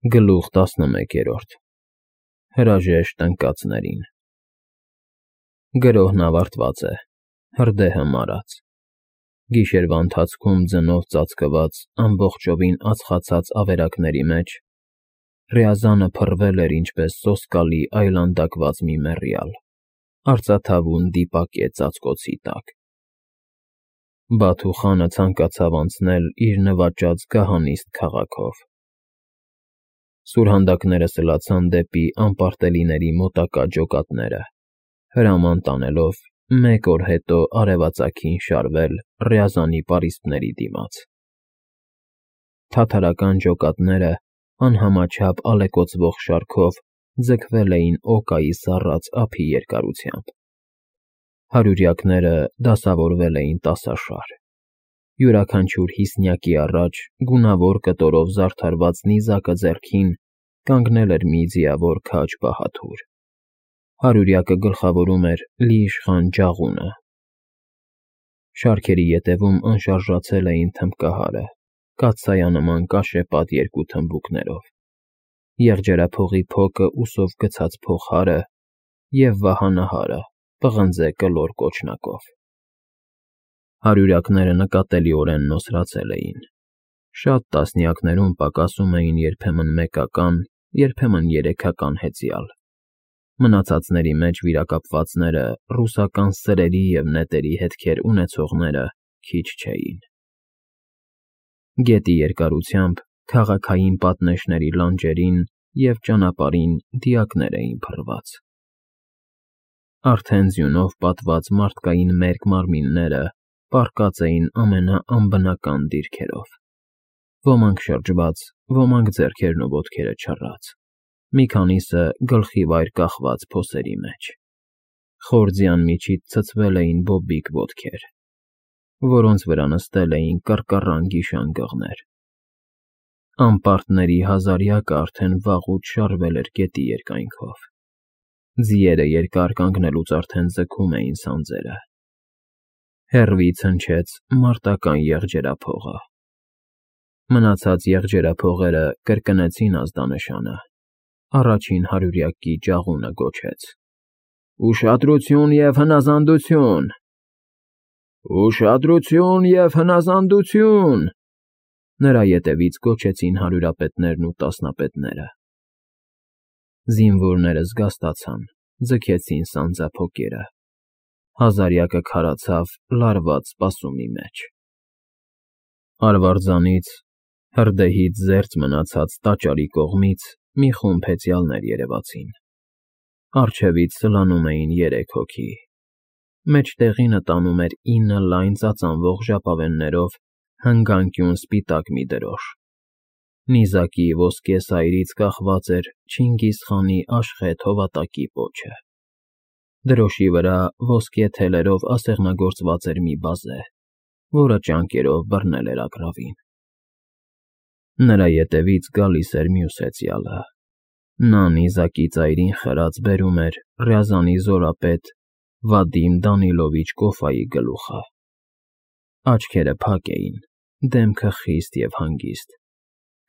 Գլուխ 11 Հրաժեշտ ընկածներին Գրոհն ավարտված է, հրդեհը մարած, գիշերվա ընթացքում ձնով ծածկված ամբողջովին ածխացած ավերակների մեջ Ռյազանը փռվել էր ինչպես սոսկալի այլանդակված մի մեռյալ, արծաթավուն դիպակ է ծածկոցի տակ։ Բաթուխանը ցանկացավ անցնել իր նվաճած գահանիստ քաղաքով։ Սուրհանդակները սլացան դեպի անպարտելիների մոտակա ջոկատները, հրաման տանելով մեկ օր հետո արևածագին շարվել Ռյազանի պարիսպների դիմաց։ Թաթարական ջոկատները անհամաչափ ալեկոծվող շարքով ձգվել էին օկայի սառած ափի երկարությամբ։ Հարյուրյակները դասավորվել էին տասաշար։ Յուրաքանչյուր հիսնյակի առաջ գունավոր կտորով զարդարված նիզակը ձեռքին կանգնել էր մի ձիավոր քաջ բահադուր։ Հարյուրյակը գլխավորում էր լի-իշխան ջաղունը։ Շարքերի ետևում անշարժացել էին թմբկահարը, կաթսայանման կաշեպատ երկու թմբուկներով, եղջերափողի փոկը ուսով գցած փողհարը և վահանահարը պղնձե կլոր կոճնակով։ Հարյուրյակները նկատելիորեն նոսրացել էին։ Շատ տասնյակներում պակասում էին երբեմն մեկական, երբեմն երեքական հեծյալ։ Մնացածների մեջ վիրակապվածները, ռուսական սրերի և նետերի հետքեր ունեցողները քիչ չէին։ Գետի երկարությամբ քաղաքային պատնեշների լանջերին և ճանապարհին դիակներ էին փռված։ Արդեն ձյունով պատված մարդկային մերկ մարմինները պառկած էին ամենաանբնական դիրքերով, ոմանք շրջված, ոմանք ձեռքերն ու ոտքերը չռած, մի քանիսը գլխիվայր կախված փոսերի մեջ։ Խոր ձյան միջից ցցվել էին բոբիկ ոտքեր, որոնց վրա նստել էին կռկռան գիշանգղներ։ Անպարտների հազարյակը արդեն վաղուց շարվել էր գետի երկայնքով։ Ձիերը երկար կանգնելուց արդեն ձգում էին սանձերը։ Հեռվից հնչեց մարտական եղջերափողը։ Մնացած եղջերափողերը կրկնեցին ազդանշանը։ Առաջին հարյուրյակի ջաղունը գոչեց. «Ուշադրություն և հնազանդություն… Ուշադրություն և հնազանդություն…» Նրա ետևից գոչեցին հարյուրապետներն ու տասնապետները։ Զինվորները զգաստացան, ձգեցին սանձափոկերը։ Հազարյակը քարացավ լարված սպասումի մեջ։ Արվարձանից, հրդեհից զերծ մնացած տաճարի կողմից մի խումբ հեծյալներ երևացին։ Առջևից սլանում էին 3 հոգի։ Մեջտեղինը տանում էր 9 լայն ծածանվող ժապավեններով հնգանկյուն սպիտակ մի դրոշ։ Նիզակի ոսկե սայրից կախված էր Չինգիզխանի աշխեհ հովատակի պոչը։ Դրոշի վրա ոսկե թելերով ասեղնագործված էր մի բազե, որը ճանկերով բռնել էր ագռավին։ Նրա ետևից գալիս էր մյուս հեծյալը։ Նա նիզակի ծայրին խրած բերում էր Ռյազանի զորապետ Վադիմ Դանիլովիչ Կոֆայի գլուխը։ Աչքերը փակ էին, դեմքը խիստ և հանգիստ,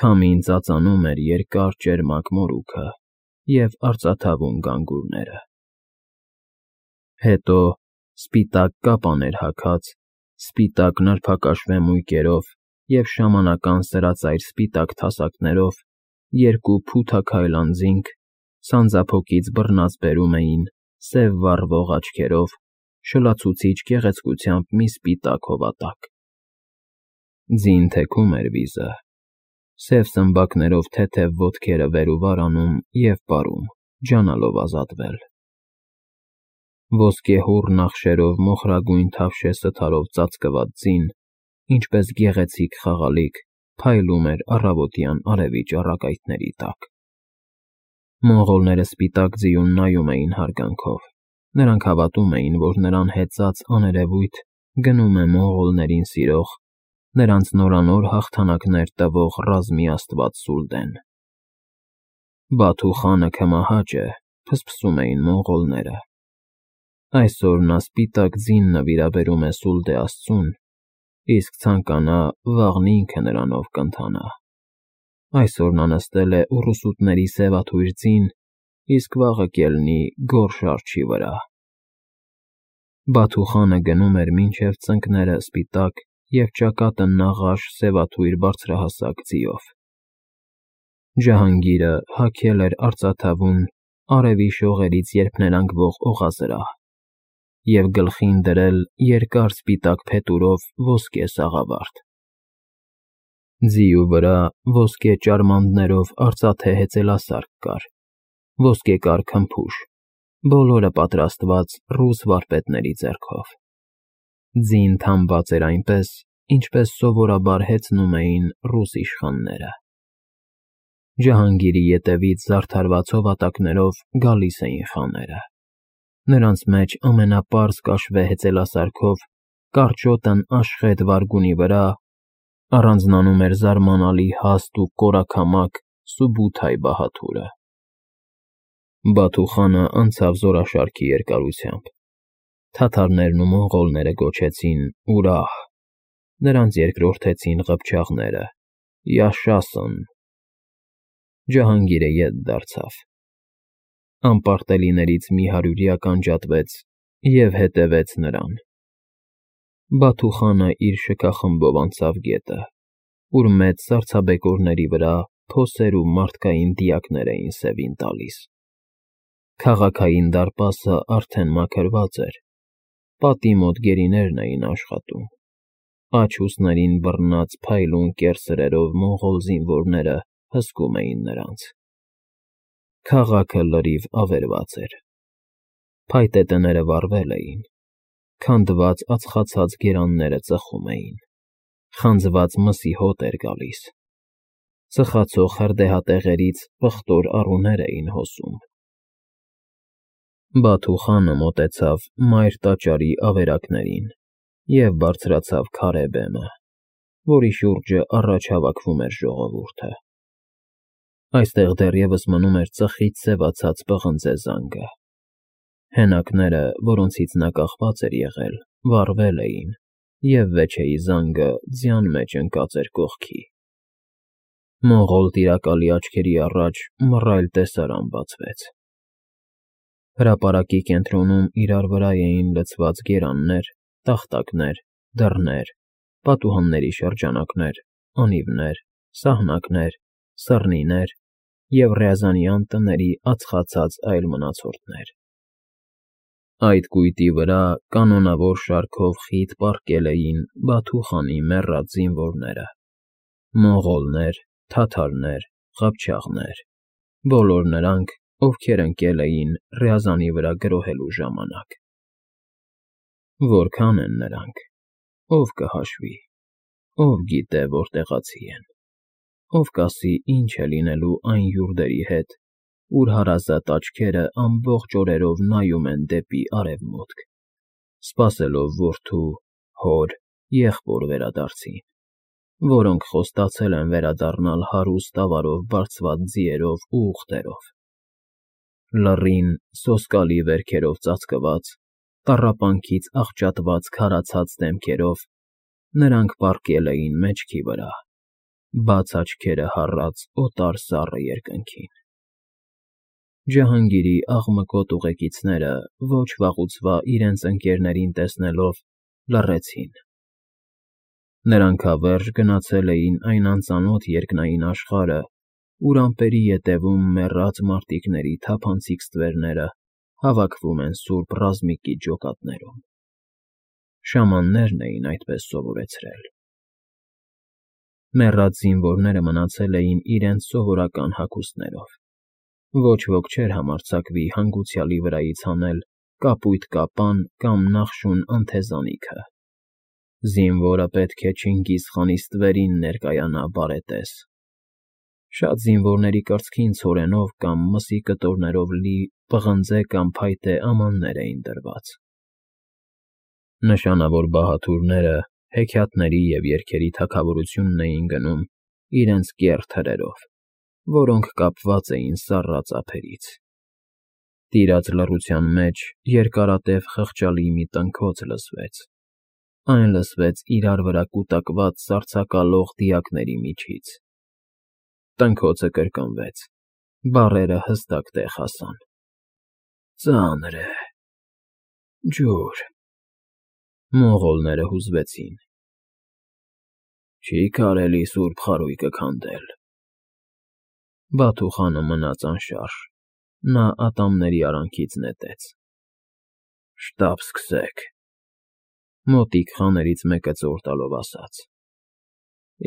քամին ծածանում էր երկար ճերմակ մորուքը և արծաթավուն գանգուրները։ Հետո սպիտակ կապան էր հագած, սպիտակ նրբակաշվե մույկերով և շամանական սրածայր սպիտակ թասակներով 2 փութաքայլ անձինք սանձափոկից բռնած բերում էին սև վառվող աչքերով շլացուցիչ գեղեցկությամբ մի սպիտակ հովատակ։ Ձին թեքում էր վիզը, սև սմբակներով թեթև ոտքերը վեր ու վար անում և պարում, ջանալով ազատվել։ Ոսկեհոռ նախշերով մոխրագույն թավշե սթարով ծածկված ձին, ինչպես գեղեցիկ խաղալիք, փայլում էր առավոտյան արևի ճառագայթների տակ։ Մոնղոլները սպիտակ ձիուն նայում էին հարգանքով։ Նրանք հավատում էին, որ նրան հեծած աներևույթ գնում է մոնղոլներին սիրող, նրանց նորանոր հաղթանակներ տվող ռազմի աստված Սուլդեն։ Բաթու խանը քմահաճ է, փսփսում էին մոնղոլները։ Այսօր նա սպիտակ ձին նվիրաբերում է Սուլդե աստծուն, իսկ ցանկանա, վաղն ինքը նրանով կընթանա։ Այսօր նա նստել է ուռուսուտների սևաթույր ձին, իսկ վաղը կելնի գորշ արջի վրա։ Բաթուխանը գնում էր մինչև ծնկները սպիտակ և ճակատը նաղաշ սևաթույր բարձրահասակ ձիով։ Ջահանգիրը հագել էր արծաթավուն, արևի շողերից երփներանգվող օղազրահ և գլխին դրել երկար սպիտակ փետուրով ոսկե սաղավարտ։ Ձիու վրա ոսկե ճարմաններով արծաթե հեծելասարք կար, ոսկեկար քմփուշ, բոլորը պատրաստված ռուս վարպետների ձեռքով։ Ձին թամված էր այնպես, ինչպես սովորաբար հեծնում էին ռուս իշխանները։ Ջահանգիրի ետևից զարդարված հովատակներով գալիս էին խաները։ Նրանց մեջ ամենապարզ կաշվե հեծելասարքով, կարճոտն աշխետ վարգունի վրա առանձնանում էր զարմանալի հաստ ու կորաքամակ Սուբութայ բահադուրը։ Բաթուխանը անցավ զորաշարքի երկարությամբ։ Թաթարներն ու մոնղոլները գոչեցին «Ուրահ», նրանց երկրորդեցին ղփչաղները «Յաշասըն»։ Ջահանգիրը ետ դարձավ։ Անպարտելիներից մի հարյուրյա կանջատվեց և հետևեց նրան։ Բաթուխանը իր շքախմբով անցավ գետը, ուր մեծ սառցաբեկորների վրա փոսեր ու մարդկային դիակներ էին սևին տալիս։ Քաղաքային դարպասը արդեն մաքրված էր, պատի մոտ գերիներն էին աշխատում։ Աջ ուսներին բռնած փայլուն կեռ սրերով մոնղոլ զինվորները հսկում էին նրանց։ Քաղաքը լրիվ ավերված էր։ Փայտե տները վառվել էին, քանդված ածխացած գերանները ծխում էին, խանձված մսի հոտ էր գալիս, ծխացող հրդեհատեղերից պղտոր առուներ էին հոսում։ Բաթուխանը մոտեցավ մայր տաճարի ավերակներին և բարձրացավ քարե բեմը, որի շուրջը առաջ հավաքվում էր ժողովուրդը։ Այստեղ դեռևս մնում էր ծխից սևացած պղնձե զանգը։ Հենակները, որոնցից նա կախված էր եղել, վառվել էին, և վեչեի զանգը ձյան մեջ ընկած էր կողքի։ Մոնղոլ տիրակալի աչքերի առաջ մռայլ տեսարան բացվեց։ Հրապարակի կենտրոնում իրար վրա էին լցված գերաններ, տախտակներ, դռներ, պատուհանների շրջանակներ, անիվներ, սահնակներ, սռնիներ և Ռյազանյան տների ածխացած այլ մնացորդներ։ Այդ կույտի վրա կանոնավոր շարքով խիտ պառկել էին Բաթուխանի մեռած զինվորները՝ մոնղոլներ, թաթարներ, ղափչաղներ, բոլոր նրանք, ովքեր ընկել էին Ռյազանի վրա գրոհելու ժամանակ։ Որքան են նրանք, ով կհաշվի, ով գիտե որտեղացի են, ով կասի ինչ է լինելու այն յուրդերի հետ, ուր հարազատ աչքերը ամբողջ օրերով նայում են դեպի արևմուտք, սպասելով որդու, հոր, եղբոր վերադարձին, որոնք խոստացել են վերադառնալ հարուստ ավարով բարձված ձիերով ու ուղտերով։ Լռին, սոսկալի վերքերով ծածկված, տառապանքից աղճատված քարացած դեմքերով նրանք պառկել էին մեջքի վրա, բաց աչքերը հառած օտար սառը երկնքին։ Ջահանգիրի աղմկոտ ուղեկիցները ոչ վաղուց վա իրենց ընկերներին տեսնելով լռեցին։ Նրանք հավերժ գնացել էին այն անծանոթ երկնային աշխարհը, ուր ամպերի ետևում մեռած մարտիկների թափանցիկ ստվերները հավաքվում են սուրբ ռազմիկի ջոկատներում։ Շամաններն էին այդպես սովորեցրել։ Մեռած զինվորները մնացել էին իրենց սովորական հագուստներով։ Ոչ ոք չէր համարձակվի հանգուցյալի վրայից հանել կապույտ կապան կամ նախշուն անթեզանիքը։ Զինվորը պետք է Չինգիզ խանի ստվերին ներկայանա բարետես։ Շատ զինվորների կրծքին ցորենով կամ մսի կտորներով լի պղնձե կամ փայտե ամաններ էին դրված։ Նշանավոր բահադուրները հեքիաթների և երգերի թագավորությունն էին գնում իրենց կեռ թրերով, որոնք կապված էին սառած ափերից։ Տիրած լռության մեջ երկարատև խղճալի մի տնքոց լսվեց։ Այն լսվեց իրար վրա կուտակված սառցակալող դիակների միջից։ Տնքոցը կրկնվեց, բառերը հստակ տեղ հասան. ծանր է, ջուր։ Մոնղոլները հուզվեցին։ Չի կարելի սուրբ խարույկը քանդել։ Բաթուխանը մնաց անշարժ, նա ատամների արանքից նետեց։ Շտապ սկսեք, մոտիկ խաներից մեկը ծոր տալով ասաց.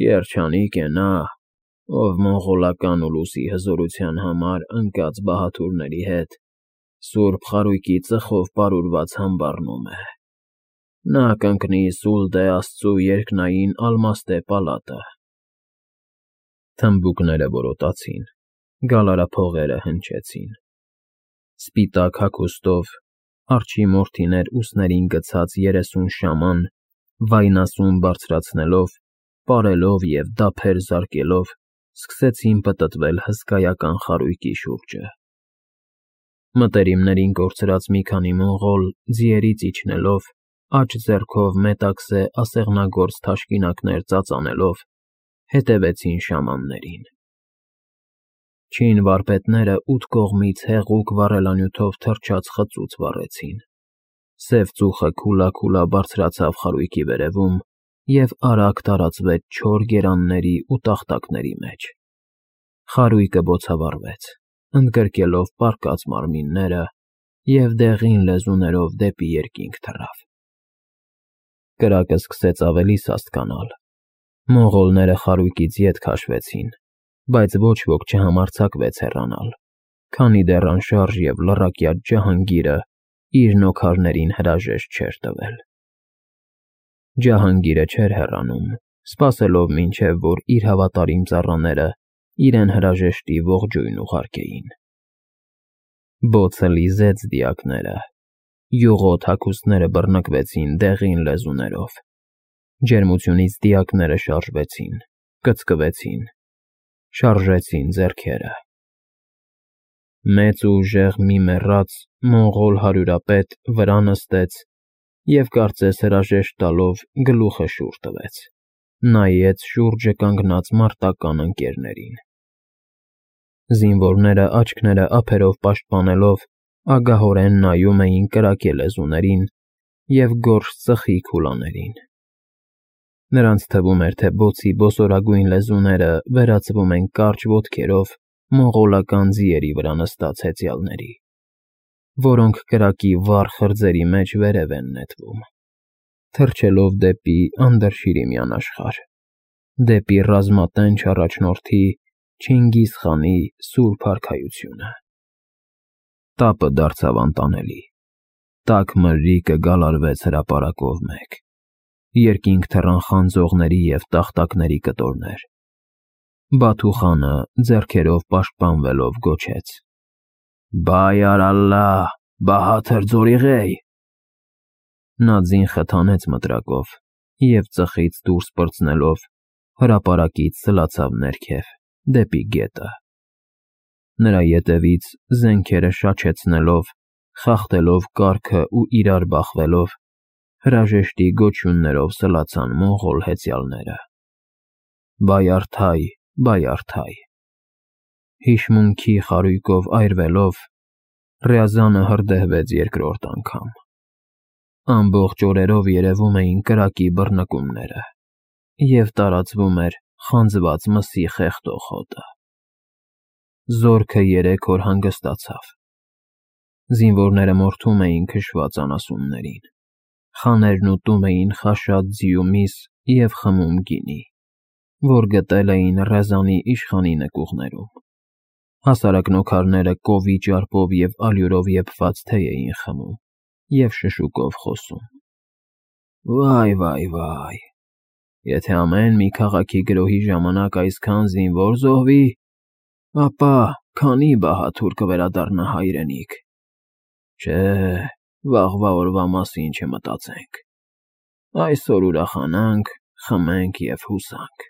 Երջանիկ է նա, ով մոնղոլական ուլուսի հզորության համար ընկած բահաթուրների հետ սուրբ խարույկի ծխով պարուրված համբարնում է։ Նա կընկնի Սուլդե աստծու երկնային ալմաստե պալատը։ Թմբուկները որոտացին, գալարափողերը հնչեցին։ Սպիտակ հագուստով, արջի մորթիներ ուսներին գցած 30 շաման, վայնասուն բարձրացնելով, պարելով և դափեր զարկելով, սկսեցին պտտվել հսկայական խարույկի շուրջը։ Մտերիմներին կորցրած մի քանի մոնղոլ, ձիերից իջնելով, աջ ձեռքով մետաքսե ասեղնագործ թաշկինակներ ծածանելով, հետևեցին շամաններին։ Չին վարպետները ութ կողմից հեղուկ վառելանյութով թրջած խծուց վառեցին։ Սև ծուխը քուլա բարձրացավ խարույկի վերևում և արագ տարածվեց չոր գերանների ու տախտակների մեջ։ Խարույկը բոցավառվեց, ընդգրկելով պառկած մարմինները և դեղին լեզուներով դեպի երկինք թռավ։ Կրակը սկսեց ավելի սաստկանալ։ Մոնղոլները խարույկից ետ քաշվեցին, բայց ոչ ոք չհամարձակվեց հեռանալ, քանի դեռ անշարժ և լռակյաց Ջահանգիրը իր նոքարներին հրաժեշտ չէր տվել։ Ջահանգիրը չէր հեռանում, սպասելով մինչև որ իր հավատարիմ ծառաները իրեն հրաժեշտի ողջույն ուղարկեին։ Բոցը լիզեց դիակները, յուղոտ հագուստները բռնկվեցին դեղին լեզուներով։ Ջերմությունից դիակները շարժվեցին, կծկվեցին, շարժեցին ձեռքերը։ Մեծ ու ուժեղ մի մեռած մոնղոլ հարյուրապետ վրա նստեց և կարծես հրաժեշտ տալով գլուխը շուռ տվեց, նայեց շուրջը կանգնած մարտական ընկերներին։ Զինվորները աչքները ափերով պաշտպանելով ագահորեն նայում էին կրակե լեզուներին և գորշ ծխի քուլաներին։ Նրանց թվում էր, թե բոցի բոսորագույն լեզուները վերածվում են կարճ ոտքերով մոնղոլական ձիերի վրա նստած հեծյալների, որոնք կրակի վառ խրձերի մեջ վերև են նետվում, թռչելով դեպի Անդրշիրիմյան աշխարհ, դեպի ռազմատենչ առաջնորդի Չինգիզ խանի սուրբ արքայությունը։ Տապը դարձավ անտանելի, տաք մրրիկը գալարվեց հրապարակով մեկ, երկինք թռան խանձողների և տախտակների կտորներ։ Բաթուխանը ձեռքերով պաշտպանվելով գոչեց. Բայար ալլահ, բահաթր ձորիղեյ։ Նա ձին խթանեց մտրակով և ծխից դուրս պրծնելով հրապարակից սլացավ ներքև, դեպի գետը։ Նրա ետևից զենքերը շաչեցնելով, խախտելով կառքը ու իրար բախվելով, հրաժեշտի գոչյուններով սլացան մոնղոլ հեծյալները։ Բայարդայ, բայարդայ։ Հիշմունքի խարույկով այրվելով, Ռյազանը հրդեհվեց երկրորդ անգամ։ Ամբողջ օրերով երևում էին կրակի բռնկումները և տարածվում էր խանձված մսի խեղդող հոտը։ Զորքը 3 օր հանգստացավ։ Զինվորները մորթում էին քշված անասուններին, խաներն ուտում էին խաշած ձիու միս և խմում գինի, որ գտել էին Ռեզանի իշխանի նկուղներում։ Հասարակ նոքարները կովի ճարպով և ալյուրով եփված թեյ էին խմում և շշուկով խոսում։ Վայ, եթե ամեն մի քաղաքի գրոհի ժամանակ այսքան զինվոր զոհվի, ապա քանի բահաթուր կվերադառնա հայրենիք։ Չէ, վաղվա օրվա մասին չմտածենք։ Այսօր ուրախանանք, խմենք և հուսանք։